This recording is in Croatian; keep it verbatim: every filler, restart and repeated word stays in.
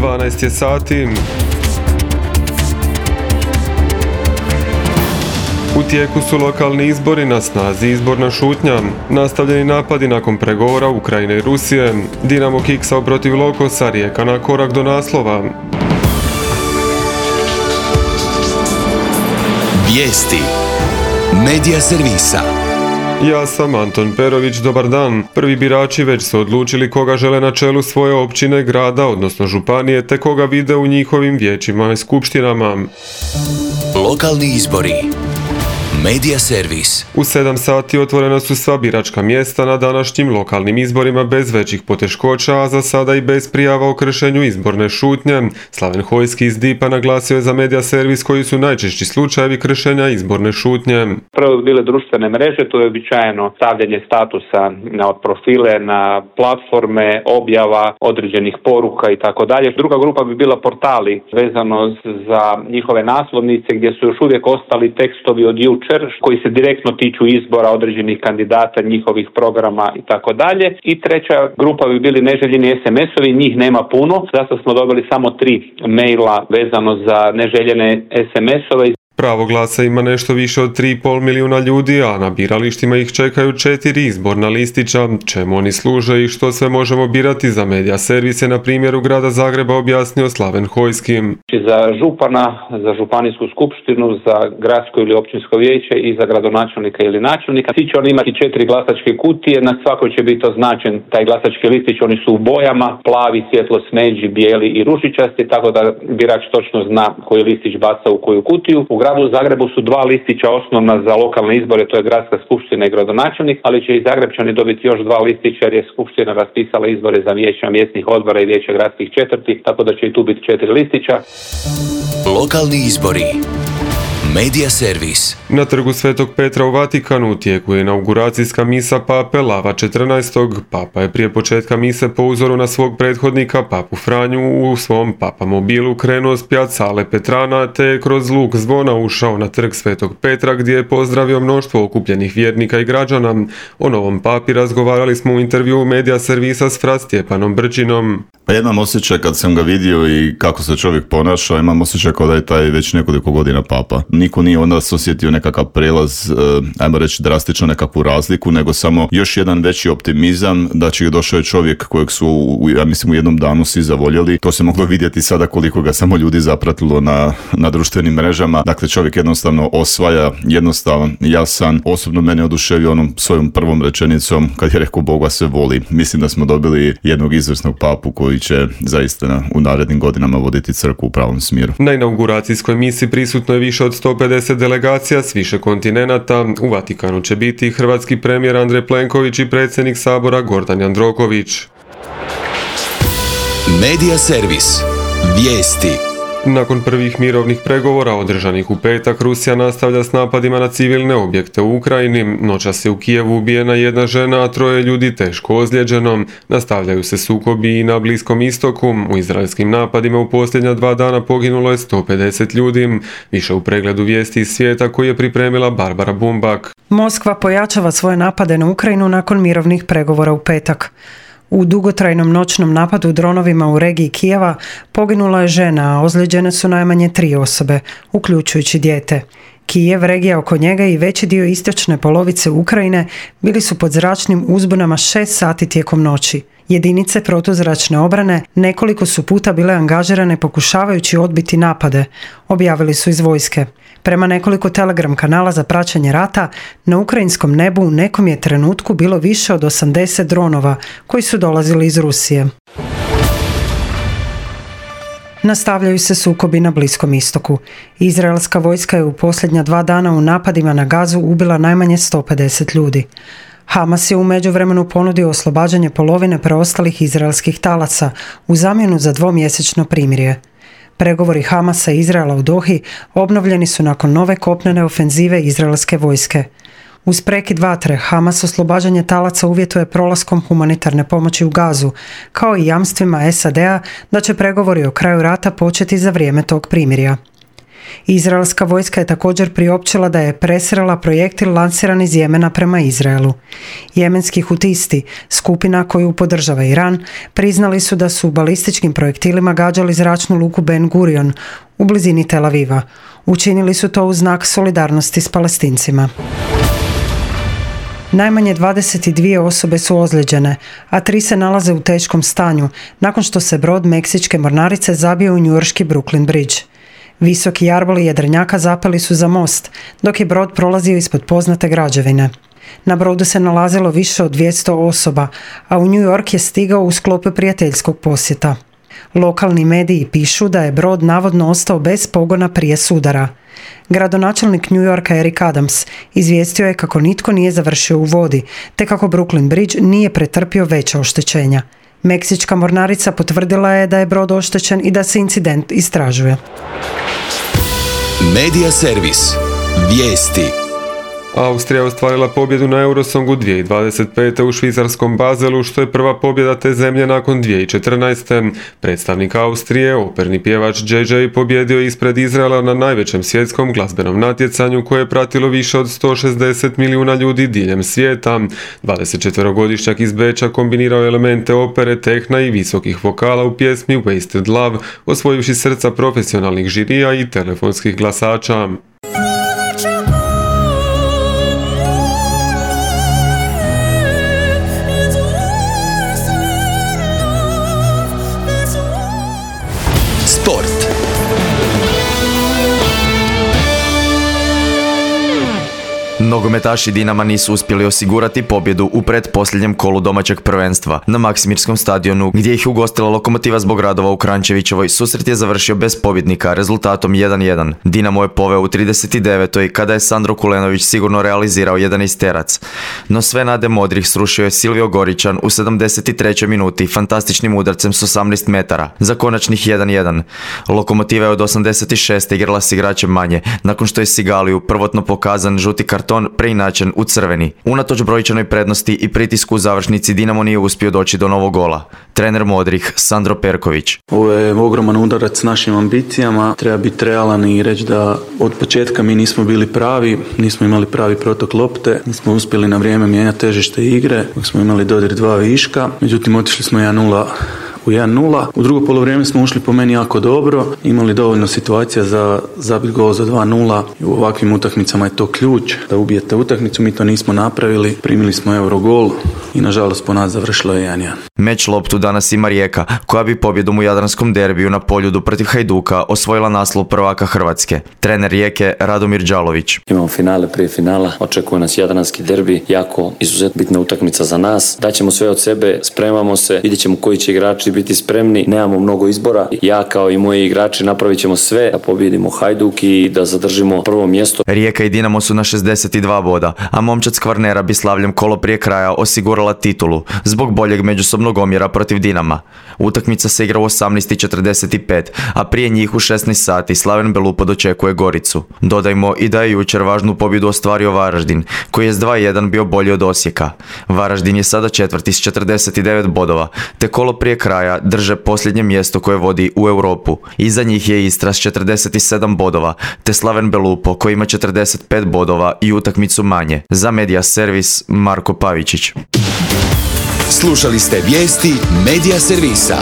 dvanaest je sati. U tijeku su lokalni izbori, na snazi izborna šutnja. Nastavljeni napadi nakon pregovora Ukrajine i Rusije. Dinamo kiksao protiv Lokosa, Rijeka na korak do naslova. Vijesti Medija servisa. Ja sam Anton Perović, dobar dan. Prvi birači već su odlučili koga žele na čelu svoje općine, grada, odnosno županije, te koga vide u njihovim vijećima i skupštinama. Lokalni izbori. Medija servis. U sedam sati otvorena su sva biračka mjesta na današnjim lokalnim izborima bez većih poteškoća, a za sada i bez prijava o kršenju izborne šutnje. Slaven Hojski iz D I P-a naglasio je za Medija servis koji su najčešći slučajevi kršenja izborne šutnje. Prvo bile društvene mreže, to je običajeno stavljanje statusa na profile, na platforme, objava određenih poruka i tako dalje. Druga grupa bi bila portali vezano za njihove naslovnice gdje su još uvijek ostali tekstovi od jučer koji se direktno tiču izbora određenih kandidata, njihovih programa i tako dalje. I treća grupa bi bili neželjeni es em es-ovi, njih nema puno, zato smo dobili samo tri maila vezano za neželjene es em es-ove. Pravo glasa ima nešto više od tri i pol milijuna ljudi, a na biralištima ih čekaju četiri izborna listića. Čemu oni služe i što sve možemo birati za Medija servis je na primjeru grada Zagreba objasnio Slaven Hojski. Za župana, za županijsku skupštinu, za gradsko ili općinsko vijeće i za gradonačelnika ili načelnika. Svi će oni imati četiri glasačke kutije, na svakoj će biti označen taj glasački listić, oni su u bojama, plavi, svjetlo smeđi, bijeli i ružičasti, tako da birač točno zna koji listić baca u koju kutiju. U gradu Zagrebu su dva listića osnovna za lokalne izbore, to je gradska skupština i gradonačelnik, ali će i Zagrebčani dobiti još dva listića jer je skupština raspisala izbore za vijeća mjesnih odbora i vijeća gradskih četvrti, tako da će i tu biti četiri listića. Lokalni izbori. Medija servis. Na trgu Svetog Petra u Vatikanu u tijeku je inauguracijska misa pape Lava četrnaestog. Papa je prije početka mise po uzoru na svog prethodnika papu Franju u svom papamobilu krenuo s pjacale Petrana te je kroz luk zvona ušao na trg Svetog Petra gdje je pozdravio mnoštvo okupljenih vjernika i građana. O novom papi razgovarali smo u intervjuu Medija servisa s fra Stjepanom Brčinom. Pa ja imam osjećaj kad sam ga vidio i kako se čovjek ponaša, imam osjećaj kao da je taj već nekoliko godina papa. Niko nije onda osjetio nekakav prelaz, ajmo reći drastično nekakvu razliku, nego samo još jedan veći optimizam da će došao je čovjek kojeg su, ja mislim, u jednom danu svi zavoljeli. To se moglo vidjeti sada koliko ga samo ljudi zapratilo na, na društvenim mrežama. Dakle, čovjek jednostavno osvaja, jednostavan, jasan. Osobno mene oduševio onom svojom prvom rečenicom kad je rekao Boga se voli. Mislim da smo dobili jednog izvrsnog papu koji će zaista u narednim godinama voditi crkvu u pravom smjeru. Na inauguracijskoj misi prisutno je više od sto pedeset delegacija s više kontinenata. U Vatikanu će biti hrvatski premijer Andrej Plenković i predsjednik Sabora Gordan Jandroković. Medija servis. Vijesti. Nakon prvih mirovnih pregovora održanih u petak, Rusija nastavlja s napadima na civilne objekte u Ukrajini. Noćas je u Kijevu ubijena jedna žena, a troje ljudi teško ozlijeđeno. Nastavljaju se sukobi i na Bliskom istoku. U izraelskim napadima u posljednja dva dana poginulo je sto pedeset ljudi. Više u pregledu vijesti iz svijeta koji je pripremila Barbara Bumbak. Moskva pojačava svoje napade na Ukrajinu nakon mirovnih pregovora u petak. U dugotrajnom noćnom napadu dronovima u regiji Kijeva poginula je žena, a ozlijeđene su najmanje tri osobe, uključujući dijete. Kijev, regija oko njega i veći dio istočne polovice Ukrajine bili su pod zračnim uzbunama šest sati tijekom noći. Jedinice protuzračne obrane nekoliko su puta bile angažirane pokušavajući odbiti napade, objavili su iz vojske. Prema nekoliko telegram kanala za praćenje rata, na ukrajinskom nebu u nekom je trenutku bilo više od osamdeset dronova koji su dolazili iz Rusije. Nastavljaju se sukobi na Bliskom istoku. Izraelska vojska je u posljednja dva dana u napadima na Gazu ubila najmanje sto pedeset ljudi. Hamas je u međuvremenu ponudio oslobađanje polovine preostalih izraelskih talaca u zamjenu za dvomjesečno primirje. Pregovori Hamasa i Izraela u Dohi obnovljeni su nakon nove kopnene ofenzive izraelske vojske. Uz prekid vatre, Hamas oslobađanje talaca uvjetuje prolaskom humanitarne pomoći u Gazu, kao i jamstvima es a de a da će pregovori o kraju rata početi za vrijeme tog primirja. Izraelska vojska je također priopćila da je presrela projektil lansiran iz Jemena prema Izraelu. Jemenski hutisti, skupina koju podržava Iran, priznali su da su balističkim projektilima gađali zračnu luku Ben Gurion u blizini Tel Aviva. Učinili su to u znak solidarnosti s Palestincima. Najmanje dvadeset dvije osobe su ozlijeđene, a tri se nalaze u teškom stanju nakon što se brod meksičke mornarice zabio u njujorški Brooklyn Bridge. Visoki jarboli jedrenjaka zapeli su za most, dok je brod prolazio ispod poznate građevine. Na brodu se nalazilo više od dvjesto osoba, a u New York je stigao u sklopu prijateljskog posjeta. Lokalni mediji pišu da je brod navodno ostao bez pogona prije sudara. Gradonačelnik New Yorka Eric Adams izvijestio je kako nitko nije završio u vodi, te kako Brooklyn Bridge nije pretrpio veća oštećenja. Meksička mornarica potvrdila je da je brod oštećen i da se incident istražuje. Medija servis. Vijesti. Austrija je ostvarila pobjedu na Eurosongu dvije tisuće dvadeset pete u švicarskom Bazelu, što je prva pobjeda te zemlje nakon dvije tisuće četrnaeste. Predstavnik Austrije, operni pjevač Jay Jay, pobjedio ispred Izraela na najvećem svjetskom glazbenom natjecanju koje je pratilo više od sto šezdeset milijuna ljudi diljem svijeta. dvadesetčetverogodišnjak iz Beča kombinirao je elemente opere, tehna i visokih vokala u pjesmi Wasted Love, osvojivši srca profesionalnih žirija i telefonskih glasača. Sport. Nogometaši Dinama nisu uspjeli osigurati pobjedu u pretposljednjem kolu domaćeg prvenstva. Na Maksimirskom stadionu, gdje ih ugostila Lokomotiva zbog radova u Kranjčevićevoj, susret je završio bez pobjednika rezultatom jedan jedan. Dinamo je poveo u trideset devetoj kada je Sandro Kulenović sigurno realizirao jedanaesterac. No sve nade modrih srušio je Silvio Goričan u sedamdeset trećoj minuti fantastičnim udarcem s osamnaest metara za konačnih jedan jedan. Lokomotiva je od osamdeset šeste igrala s igračem manje, nakon što je Sigaliju prvotno pokazan žuti karton preinačen u crveni. Unatoč brojčanoj prednosti i pritisku u završnici, Dinamo nije uspio doći do novog gola. Trener modrih Sandro Perković. Ovo je ogroman udarac s našim ambicijama. Treba biti realan i reći da od početka mi nismo bili pravi, nismo imali pravi protok lopte, nismo uspjeli na vrijeme mijenjati težište igre, dok smo imali dodir dva viška. Međutim, otišli smo jedan nula u jedan nula. U drugo polovrijeme smo ušli po meni jako dobro, imali dovoljno situacija za zabit gol za dva nula. U ovakvim utakmicama je to ključ da ubijete utakmicu, mi to nismo napravili, primili smo Eurogol i nažalost po nas završilo je jedan jedan. Meč loptu danas ima Rijeka, koja bi pobjedom u jadranskom derbiju na Poljudu protiv Hajduka osvojila naslov prvaka Hrvatske. Trener Rijeke Radomir Đalović. Imamo finale prije finala, očekuje nas jadranski derbi, jako izuzetno bitna utakmica za nas. Daćemo sve od sebe, spremamo se, vidjet ćemo koji će igrači biti spremni, nemamo mnogo izbora. Ja kao i moji igrači napravit ćemo sve da pobjedimo Hajduk i da zadržimo prvo mjesto. Rijeka i Dinamo su na šezdeset dva boda, a momčad s Kvarnera bi slavljem kolo prije kraja osigurala titulu zbog boljeg međusobnog omjera protiv Dinama. Utakmica se igra u osamnaest četrdeset pet, a prije njih u šesnaest sati Slaven Belupo dočekuje Goricu. Dodajmo i da je jučer važnu pobjedu ostvario Varaždin, koji je s dva jedan bio bolji od Osijeka. Varaždin je sada četvrti s četrdeset devet bodova, te kolo prije kraja drže posljednje mjesto koje vodi u Europu. Iza njih je Istra s četrdeset sedam bodova, te Slaven Belupo koji ima četrdeset pet bodova i utakmicu manje. Za Medija servis Marko Pavičić. Slušali ste vijesti Medija servisa.